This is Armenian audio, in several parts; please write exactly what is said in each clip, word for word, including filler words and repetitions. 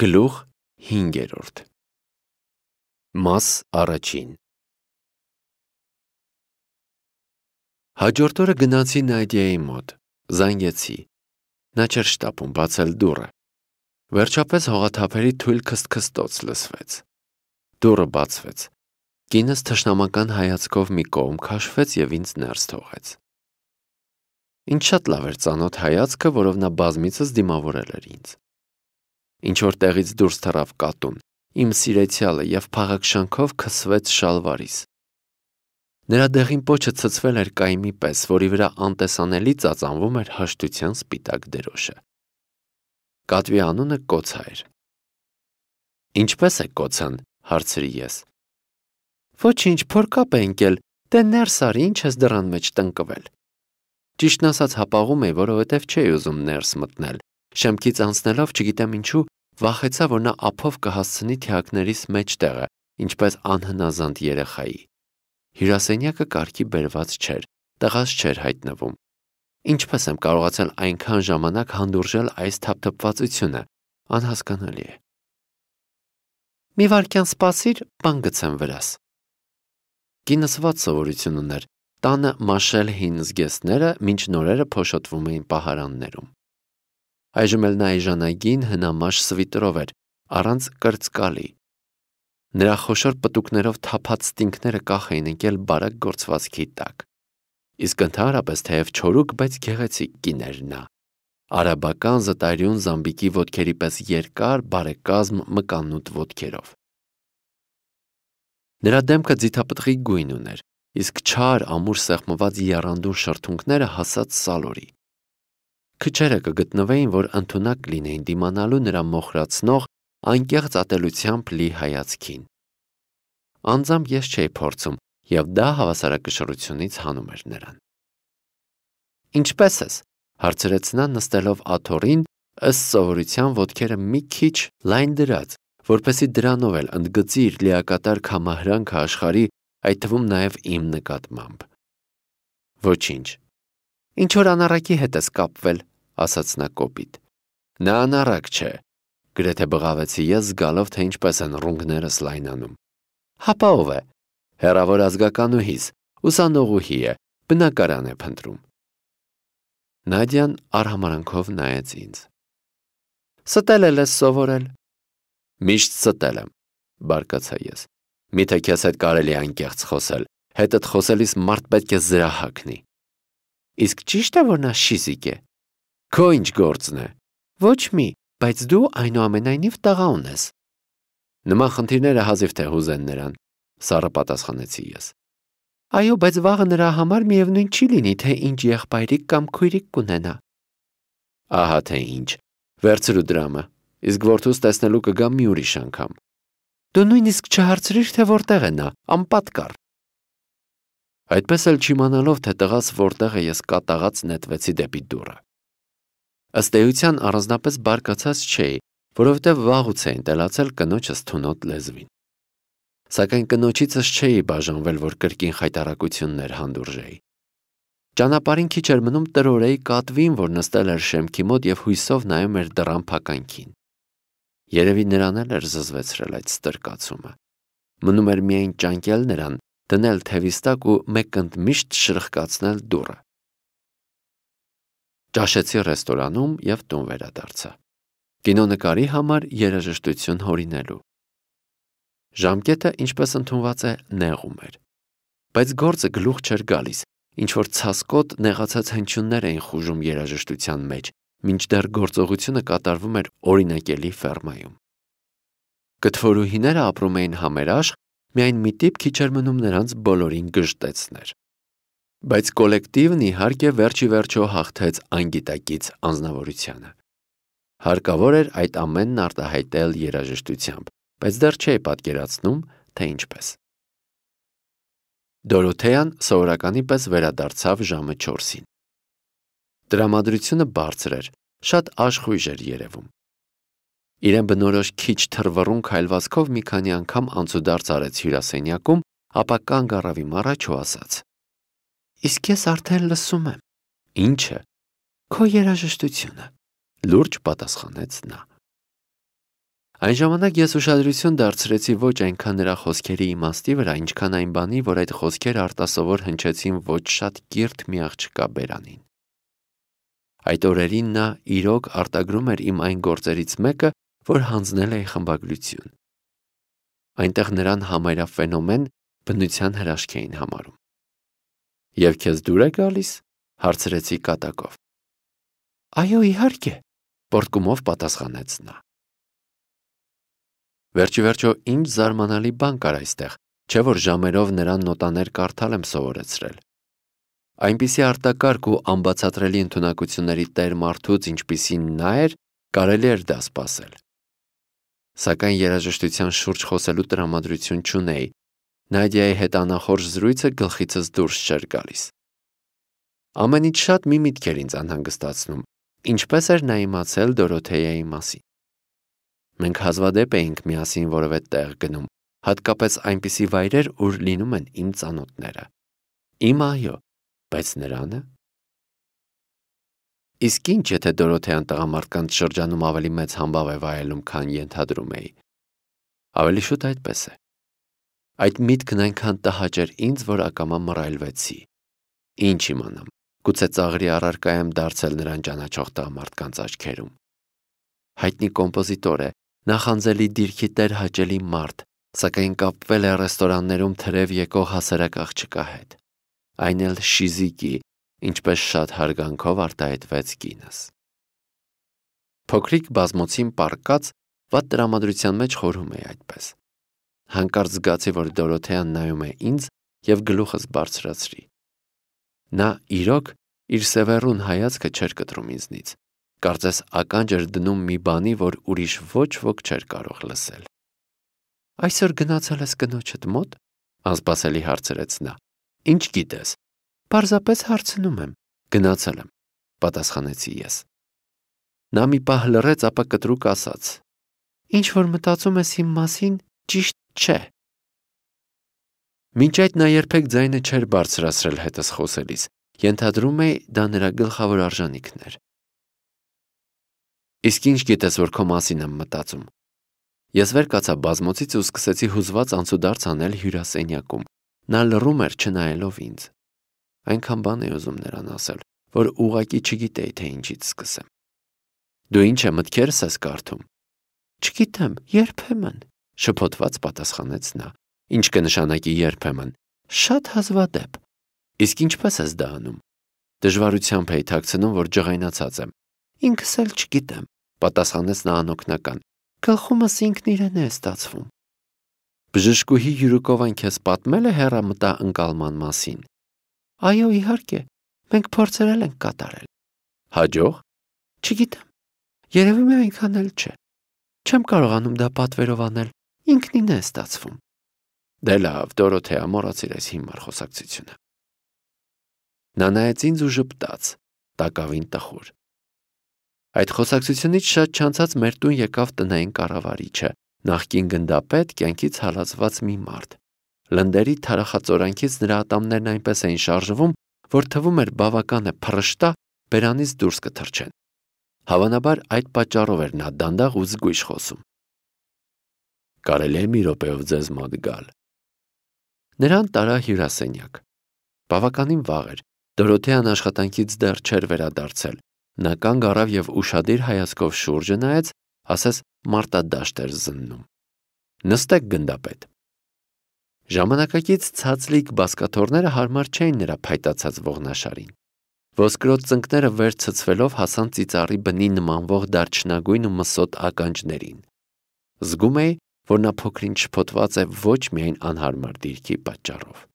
Գլուխ հինգերորդ Մաս առաջին Հաջորդ օրը գնացի Նադիայի մոտ, զանգեցի, նա չէր շտապում բացել դուռը, վերջապես հողաթափերի թույլ քստքստոց լսվեց, դուռը բացվեց, կինս թշնամական հայացքով մի կողմ քաշվեց և ինձ ներս թողեց, ինձ շատ լավ էր ծանոթ հայացքը, որով նա բազմիցս դիմավորել էր ինձ, ինչ-որ տեղից դուրս թռավ կատուն, իմ սիրեցյալը և փաղաքշանքով քսվեց շալվարիս, նրա դեղին պոչը ցցվել էր կայմի պես, որի վրա անտեսանելի ծածանվում էր հաշտության սպիտակ դրոշը, կատվի անունը Կոցա էր, ինչպե՞ս է Կոցան, հարցրի ես, ոչինչ, փորկապ է ընկել, դե ներս արի, ինչ ես դռան մեջ տնկվել, ճիշտն ասած հապաղում էի, որովհետև չէի ուզում ներս մտնել, շեմքից անցնելով չգիտեմ ինչու վախեցա, որ նա ափով կհասցնի թիակներիս մեջտեղը, ինչպես անհնազանդ երեխայի, հյուրասենյակը կարգի բերված չէր, տղաս չէր հայտնվում, ինչպես եմ կարողացել այնքան ժամանակ հանդուրժել այս թափթփվածությունը, անհասկանալի է, մի վայրկյան սպասիր, բան գցեմ վրաս, կինս վատ սովորություն ուներ, տանը մաշել հին զգեստները, մինչ նորերը փոշոտվում էին պահարաններում, այժմ էլ նա այժանագին հնամաշ սվիտրով էր, առանց կրծկալի, նրա խոշոր պտուկներով թափած ստինքները կախ էին ընկել բարակ գործվածքի տակ, իսկ ընդհանրապես թեև չորուկ, բայց գեղեցիկ կին էր նա, արաբական զտարյուն զամբիկի ոտքերի պես երկար, բարեկազմ մկանուտ ոտքերով, նրա դեմքը ձիթապտղի գույն ուներ, իսկ չար ամուր սեղմված եռանդուն շրթունքները հասած սալորի, քչերը կգտնվեին, որ ընդունակ լինեին դիմանալու նրա մոխրացնող, անկեղծ ատելությամբ լի հայացքին, անձամբ ես չէի փորձում, և դա հավասարակշռությունից հանում էր նրան, ինչպե՞ս ես, հարցրեց նա նստելով աթոռին, ըստ սովորության ոտքերը մի քիչ լայն դրած, որպեսզի դրանով էլ ընդգծի իր լիակատար քամահրանքը աշխարհի, այդ թվում նաև իմ նկատմամբ, ոչինչ, ինչ-որ անառակի հետ ես կապվել, ասաց նա կոպիտ, նա անառակ չէ, գրեթե բղավեցի ես զգալով, թե ինչպես են ռունգներս լայնանում, հապա ով է, հեռավոր ազգականուհիս, ուսանողուհի է, բնակարան է փնտրում, Նադյան արհամարանքով նայեց ինձ, ստել էլ ես սովորել, միշտ ստել եմ, բարկացա ես, միթե քեզ հետ կարելի է անկեղծ խոսել, հետդ խոսելիս մարդ պետք է զրահ հագնի, իսկ ճիշտ է, որ նա շիզիկ է, քո ինչ գործն է, ոչ մի, բայց դու այնուամենայնիվ տղա ունես, նման խնդիրները հազիվ թե հուզեն նրան, սառը պատասխանեցի ես, այո, բայց վաղը նրա համար միևնույն չի լինի, թե ինչ եղբայրիկ կամ քույրիկ կունենա, ահա թե ինչ, վերցրու դրամը, իսկ որդուս տեսնելու կգամ մի ուրիշ անգամ, դու նույնիսկ չհարցրիր, թե որտեղ է նա, անպատկառ, այդպես էլ չիմանալով, թե տղաս որտեղ է, ես կատաղած նետվեցի դեպի դուռը, ըստ էության առանձնապես բարկացած չէի, որովհետև վաղուց էին տելացել կնոջս թունոտ լեզվին, սակայն կնոջիցս չէի բաժանվել, որ կրկին խայտառակություններ հանդուրժեի, ճանապարհին քիչ էր մնում տրորեի կատվին, որ նստել էր շեմքի մոտ և հույսով նայում էր դռան փականքին, երևի նրան էլ էր զզվեցրել այդ ստրկացումը, մնում էր միայն ճանկել նրան, դնել թևիս տակ ու մեկընդմիշտ շրխկացնել դուռը, ճաշեցի ռեստորանում և տուն վերադարձա, կինոնկարի համար երաժշտություն հորինելու, ժամկետը, ինչպես ընդունված է, նեղում էր, բայց գործը գլուխ չէր գալիս, ինչ-որ ցասկոտ նեղացած հնչյուններ էին խուժում երաժշտության մեջ, մինչդեռ գործողությունը կատարվում էր օրինակելի ֆերմայում, կթվորուհիները ապրում էին համերաշխ, միայն մի տիպ քիչ էր մնում նրանց բոլորին գժտեցներ, բայց կոլեկտիվն իհարկե վերջի վերջո հաղթեց անգիտակից անձնավորությանը, հարկավոր էր այդ ամենն արտահայտել երաժշտությամբ, բայց դեռ չէի պատկերացնում, թե ինչպես, Դորոթեան սովորականի պես վերադարձավ ժամը չորսին, տրամադրությունը բարձր էր, շատ աշխույժ էր երևում, իրեն բնորոշ քիչ թռվռուն քայլվածքով մի քանի անգամ անցուդարձ արեց հյուրասենյակում, ապա կանգ առավ իմ առաջ ու ասաց. Իսկ ես արդեն լսում եմ, ինչը, քո երաժշտությունը, լուրջ պատասխանեց նա, Այն ժամանակ ես ուշադրություն դարձրեցի ոչ այնքան նրա խոսքերի իմաստի վրա, ինչքան այն բանի, որ այդ խոսքերը արտասովոր հնչեցին ոչ շատ կիրթ մի աղջկա բերանին։ Այդ օրերին նա իրոք արտագրում էր իմ այն գործերից մեկը, որ հանձնել էի խմբագրություն։ Այնտեղ նրան համարյա ֆենոմեն բնության հրաշք էին համարում։ Եվ քեզ դուր է գալիս, հարցրեցի կատակով։ Այո, իհարկե, պոռթկումով պատասխանեց նա։ Վերջիվերջո ինչ զարմանալի բան կար այստեղ, չէ որ ժամերով նրան նոտաներ կարդալ եմ սովորեցրել։ Այնպիսի արտակարգ ու անբացատրելի ընդունակությունների տեր մարդուց, ինչպիսին նա էր, կարելի էր դա սպասել։ Սակայն երաժշտության շուրջ խոսելու տրամադրություն չունեի, Նադիայի հետ անախորժ զրույցը գլխիցս դուրս չէր գալիս։ Ամենից շատ մի միտք էր ինձ անհանգստացնում, ինչպես էր նա իմացել Դորոթեյայի մասին։ Մենք հազվադեպ էինք միասին որևէ տեղ գնում, հատկապես այնպիսի վայրեր, ուր լինում են իմ ծանոթները։ Իմ այո, բայց նրանը։ Իսկ ինչ, եթե Դորոթեյան տղամարդկանց շրջանում ավելի մեծ համբավ է վայելում, քան ենթադրում էի։ Ավելի շուտ այդպես է։ Այդ միտքն այնքան տհաճ էր ինձ, որ ակամա մռայլվեցի։ Ինչ իմանամ, գուցե ծաղրի առարկա եմ դարձել նրան ճանաչող տղամարդկանց աչքերում։ Հայտնի կոմպոզիտոր է, նախանձելի դիրքի տեր հաճելի մարդ, սակայն կապվել է ռեստորաններում թրև եկող հասարակ աղջկա հետ։ Այն էլ շիզիկի, ինչպես շատ հարգանքով արտահայտվեց կինս։ Փոքրիկ բազմոցին պառկած, վատ տրամադրության մեջ խորհում էի այդպես։ Հանկարծ զգացի, որ Դորոթեան նայում է ինձ և գլուխս բարձրացրի։ Նա իրոք իր սևեռուն հայացքը չէր կտրում ինձնից, կարծես ականջ էր դնում մի բանի, որ ուրիշ ոչ ոք չէր կարող լսել։ Այսօր գնացել ես կնոջդ մոտ, անսպասելի հարցրեց նա։ Ինչ գիտես։ Պարզապես հարցնում եմ, գնացել եմ, պատասխանեցի ես։ Նա մի պահ լռեց, ապա կտրուկ ասաց. Ինչ որ մտածում ես իմ մասին, ճիշտ չէ։ Մինչ այդ նա երբեք ձայնը չէր բարձրացրել հետս խոսելիս, ենթադրում էի դա նրա գլխավոր արժանիքն էր։ Իսկ ինչ գիտես, որ քո մասին եմ մտածում։ Ես վեր կացա բազմոցից ու սկսեցի հուզված անցուդարձ անել հյուրասենյակում։ Նա լռում էր, չնայելով ինձ։ Այնքան բան էի ուզում նրան ասել, որ ուղղակի չգիտեի, թե ինչից սկսեմ։ Դու ինչ է մտքերս ես կարդում։ Չգիտեմ, երբեմն, շփոթված պատասխանեց նա։ Ինչ կնշանակի երբեմն։ Շատ հազվադեպ։ Իսկ ինչպես ես դա անում։ Դժվարությամբ էի թաքցնում, որ ջղայնացած եմ։ Ինքս էլ չգիտեմ, պատասխանեց նա անօգնական։ Գլխումս ինքն իրեն է ստացվում։ Բժշկուհի յուրուկովան քեզ պատմել է հեռամտա ընկալման մասին։ Այո, իհարկե, մենք փորձերել ենք կատարել։ Հաջող։ Չգիտեմ։ Երևում է այնքան էլ չէ։ Չեմ կարողանում դա պատվերով անել, ինքնին է ստացվում։ Դե լավ, Դորոթեա, մոռացիր այս հիմար խոսակցությունը։ Նա նայեց ինձ ու ժպտաց, տակավին տխուր։ Այդ խոսակցությունից շատ չանցած մեր տուն եկավ տնային կառավարիչը, նախկին գնդապետ, կյանքից հալածված մի մարդ։ Լնդերի թարախածորանքից նրա ատամներն այնպես էին շարժվում, որ թվում էր բավական է փռշտա բերանից դուրս կթռչեն։ Հավանաբար այդ պատճառով էր նա դանդաղ ու զգույշ խոսում։ Կարելի է մի րոպեով ձեզ մոտ գալ։ Նրան տարա հյուրասենյակ։ Բավականին վաղ էր, Դորոթեան աշխատանքից դեռ չէր վերադարձել։ Նա կանգ առավ և ուշադիր հայացքով շուրջը նայեց, ասես մարտադաշտ էր զննում։ Նստեք, գնդապետ։ Ժամանակակից ցածլիկ բազկաթոռները հարմար չէին նրա փայտացած ողնաշարին։ Ոսկրոտ ծնկները վեր ցցվելով հասան ծիծառի բնի նմանվող դարչնագույն ու մսոտ ականջներին։ Զգում էի, որ նա փոքրինչ շփոթված է ոչ միայն անհարմար դիրքի պատճառով։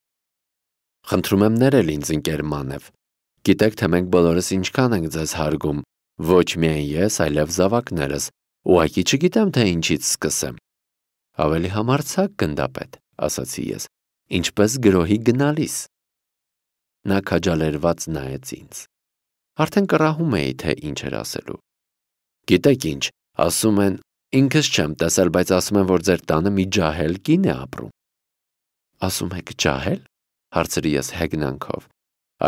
Խնդրում եմ ներել ինձ, ընկեր Մանև։ Գիտեք, թե մենք բոլորս ինչքան ենք ձեզ հարգում, ոչ միայն ես, այլև զավակներս, ուղղակի չգիտեմ, թե ինչից սկսեմ։ Ավելի համարձակ, գնդապետ, ասացի ես, ինչպես գրոհի գնալիս։ Նա քաջալերված նայեց ինձ։ Արդեն կռահում էի, թե ինչ էր ասելու։ Գիտեք ինչ, ասում են, ինքս չեմ տեսել, բայց ասում են, որ ձեր տանը մի ջահել կին է ապրում։ Ասում եք ջահել, հարցրի ես հեգնանքով։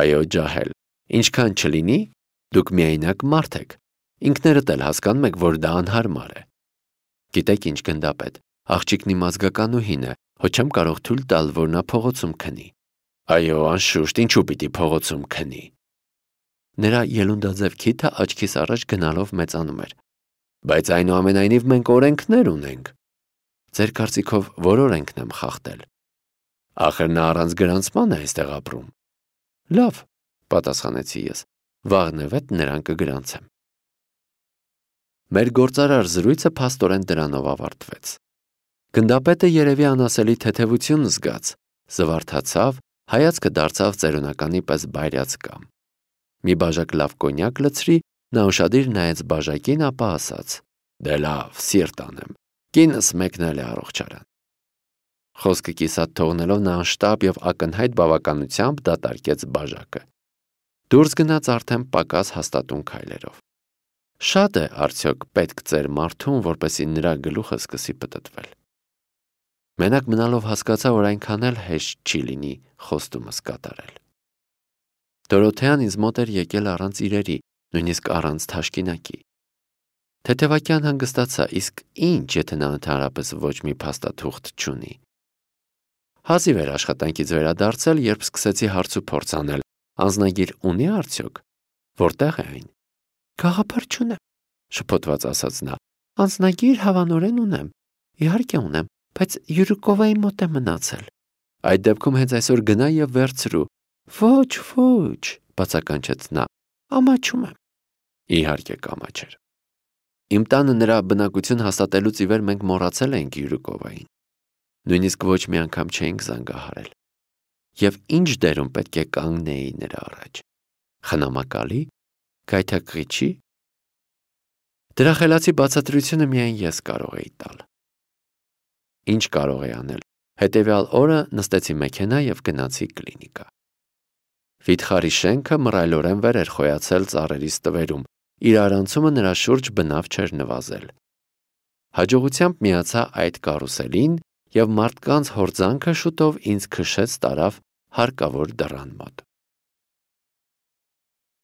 Այո, ջահել, ինչքան չլինի, դուք միայնակ մարդ եք, ինքներդ էլ հասկանում եք, որ դա անհարմար է։ Գիտեք ինչ, գնդապետ, աղջիկն իմ ազգականուհին է, հո չեմ կարող թույլ տալ, որ նա փողոցում քնի։ Այո, անշուշտ, ինչու պիտի փողոցում քնի։ Նրա ելունդաձև քիթը աչքիս առաջ գնալով մեծանում էր։ Բայց այնուամենայնիվ մենք օրենքներ ունենք։ Ձեր կարծիքով որ օրենքն եմ խախտել։ Ախր նա առանց գրանցման է այստեղ ապրում։ Լավ, պատասխանեցի ես, վաղնևեթ նրան կգրանցեմ։ Մեր գործարար զրույցը փաստորեն դրանով ավարտվեց։ Գնդապետը երևի անասելի թեթևություն զգաց, զվարթացավ, հայացքը դարձավ ծերունականի պես բայրած կամ։ Մի բաժակ լավ կոնյակ լցրի, նա ուշադիր նայեց բաժակին, ապա ասաց. Դե լավ, սիրտ անեմ, կինս մեկնել է առողջարան։ Խոսքը կիսատ թողնելով նա անշտապ և ակնհայտ բավականությամբ դատարկեց բաժակը։ Դուրս գնաց արդեն պակաս հաստատուն քայլերով։ Շատ է արդյոք պետք ծեր մարդուն, որպեսզի նրա գլուխը սկսի պտտվել։ Մենակ մնալով հասկացա, որ այնքան էլ հեշտ չի լինի խոստումս կատարել։ Դորոթեան ինձ մոտ էր եկել առանց իրերի, նույնիսկ առանց թաշկինակի։ Թեթևակյան հանգստացա, իսկ ինչ, եթե նա ընդհանրապես ոչ մի փաստաթուղթ չունի։ Հազիվ էր աշխատանքից վերադարձել, երբ սկսեցի հարց ու փորձ անել, անձնագիր ունի արդյոք, որտեղ է այն։ Գաղափար չունեմ, շփոթված ասաց նա, անձնագիր հավանորեն ունեմ, իհարկե ունեմ, բայց Յուրիկովայի մոտ է մնացել։ Այդ դեպքում հենց այսօր գնա և վերցրու։ Ոչ, ոչ, բացականչեց նա, ամաչում եմ։ Իհարկե կամաչեր։ Իմ տանը նրա բնակություն հաստատելուց ի վեր մենք մոռացել էինք Յուրիկովային։ Նույնիսկ ոչ մի անգամ չէինք զանգահարել։ Եվ ինչ դերում պետք է կանգնեի նրա առաջ։ Խնամակալի, գայթակղիչի։ Դրա խելացի բացատրությունը միայն ես կարող էի տալ։ Ինչ կարող էի անել։ Հետևյալ օրը նստեցի մեքենա և գնացի կլինիկա։ Վիթխարի շենքը մռայլորեն վեր էր խոյացել ծառերի ստվերում, իր արանցումը նրա շուրջ բնավ չէր նվազել։ Հաջողությամբ միացա այդ կարուսելին և մարդկանց հորձանքը շուտով ինձ քշեց տարավ հարկավոր դռան մոտ։